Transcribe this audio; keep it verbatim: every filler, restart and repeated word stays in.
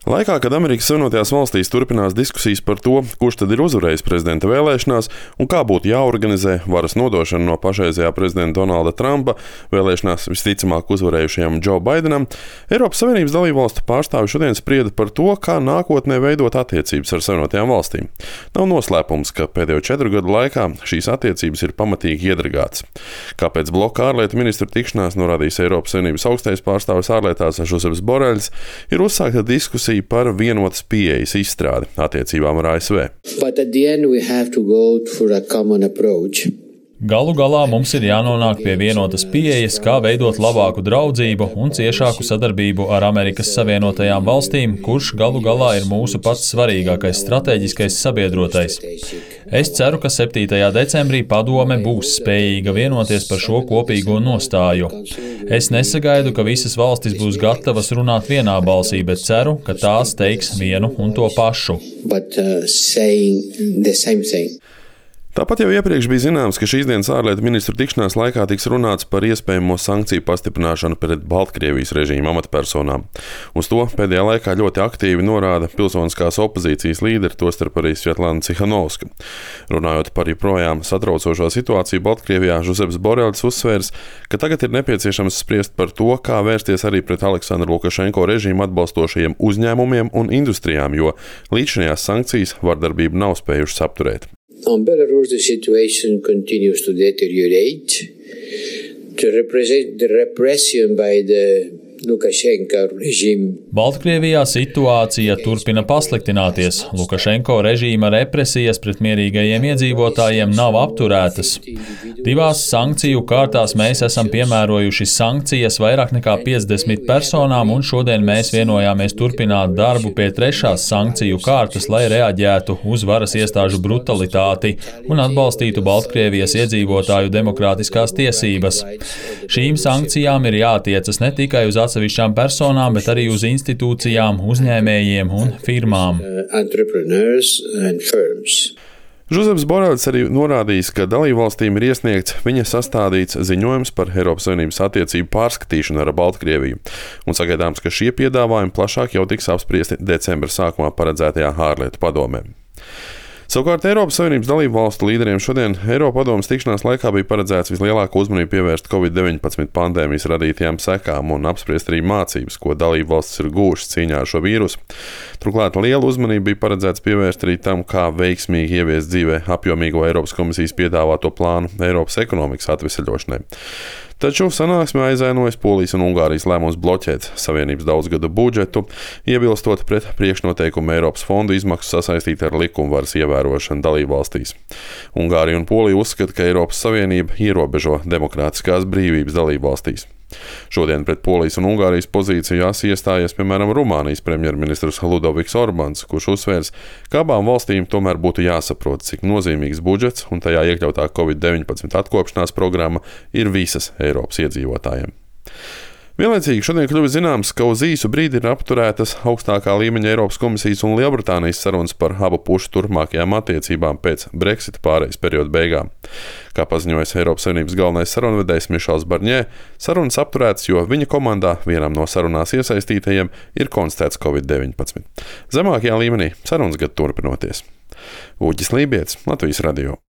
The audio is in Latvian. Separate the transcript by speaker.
Speaker 1: Laikā, kad Amerikas Savienotajās valstīs turpinās diskusijas par to, kurš tad ir uzvarējis prezidenta vēlēšanās un kā būtu jāorganizē varas nodošana no pašreizējā prezidenta Donalda Trumpa vēlēšanās visticamāk uzvarējušajam Džo Baidenam, Eiropas Savienības dalībvalstu pārstāvji šodien sprieda par to, kā nākotnē veidot attiecības ar Savienotajām valstīm. Nav noslēpums, ka pēdējo četru gadu laikā šīs attiecības ir pamatīgi iedragātas. Kāpēc bloka ārlietu ministru tikšanās norādījis Eiropas Savienības augstais pārstāvis ārlietās Žozefs Boreļs, ir uzsākta diskusija par vienotas pieejas izstrādi attiecībām ar A S V.
Speaker 2: Galu galā mums ir jānonāk pie vienotas pieejas, kā veidot labāku draudzību un ciešāku sadarbību ar Amerikas Savienotajām valstīm, kurš galu galā ir mūsu pats svarīgākais strateģiskais sabiedrotais. Es ceru, ka septītajā decembrī padome būs spējīga vienoties par šo kopīgo nostāju. Es nesagaidu, ka visas valstis būs gatavas runāt vienā balsī, bet ceru, ka tās teiks vienu un to pašu. But, uh,
Speaker 1: Tāpat jau iepriekš bija zināms, ka šīs dienas ārlietu ministru tikšanās laikā tiks runāts par iespējamo sankciju pastiprināšanu pret Baltkrievijas režīma amatpersonām. Uz to pēdējā laikā ļoti aktīvi norāda pilsoniskās opozīcijas līderi, tostarp arī Svetlana Cihanovska. Runājot par joprojām satraucošo situāciju Baltkrievijā, Žozefs Boreļs uzsvērs, ka tagad ir nepieciešams spriest par to, kā vērsties arī pret Aleksandra Lukašenko režīmu atbalstošajiem uzņēmumiem un industrijām, jo līdzinājās sankcijas vardarbību nav spējušas apturēt.
Speaker 3: On Belarus, the situation continues to deteriorate. To represent the repression by the Lukašenko režīmu.
Speaker 2: Baltkrievijā situācija turpina pasliktināties. Lukašenko režīma represijas pret mierīgajiem iedzīvotājiem nav apturētas. Divās sankciju kārtās mēs esam piemērojuši sankcijas vairāk nekā piecdesmit personām, un šodien mēs vienojāmies turpināt darbu pie trešās sankciju kārtas, lai reaģētu uz varas iestāžu brutalitāti un atbalstītu Baltkrievijas iedzīvotāju demokrātiskās tiesības. Šīm sankcijām ir jātiecas ne tikai uz atsevišķām personām, bet arī uz institūcijām, uzņēmējiem un firmām.
Speaker 1: Žozefs Boreļs arī norādījis, ka dalībvalstīm ir iesniegts viņa sastādīts ziņojums par Eiropas Savienības attiecību pārskatīšanu ar Baltkrieviju, un sagaidāms, ka šie piedāvājumi plašāk jau tiks apspriesti decembra sākumā paredzētajā ārlietu padomē. Savukārt Eiropas Savienības dalību valstu līderiem šodien Eiropadomes tikšanās laikā bija paredzēts vislielāko uzmanību pievērst covid deviņpadsmit pandēmijas radītajām sekām un apspriest arī mācības, ko dalību valstis ir gūšas cīņā ar šo vīrusu. Turklāt liela uzmanība bija paredzēts pievērst arī tam, kā veiksmīgi ieviest dzīvē apjomīgo Eiropas komisijas piedāvāto plānu Eiropas ekonomikas atveseļošanai. Taču sanāksmē aizēnojas Polijas un Ungārijas lēmums bloķēt Savienības daudzgadu budžetu, iebilstot pret priekšnoteikumu Eiropas fondu izmaksu sasaistīt ar likumvaras ievērošanu dalībvalstīs. Ungārija un Polija uzskata, ka Eiropas Savienība ierobežo demokrātiskās brīvības dalībvalstīs. Šodien pret Polijas un Ungārijas pozīciju asi iestājies, piemēram, Rumānijas premjerministrs Ludoviks Orbans, kurš uzsvērs, ka abām valstīm tomēr būtu jāsaprot, cik nozīmīgs budžets un tajā iekļautā covid deviņpadsmit atkopšanās programma ir visas Eiropas iedzīvotājiem. Vienlaicīgi šodien kļuva zināms, ka uz īsu brīdi ir apturētas augstākā līmeņa Eiropas komisijas un Lielbritānijas sarunas par abu pušu turpmākajām attiecībām pēc Brexita pārejas perioda beigām. Kā paziņojas Eiropas Savienības galvenais sarunvedējs Mišels Barņē, sarunas apturētas, jo viņa komandā vienam no sarunās iesaistītajiem ir konstatēts covid deviņpadsmit. Zemākajā līmenī sarunas gadu turpinoties. Uģis Lībietis, Latvijas radio.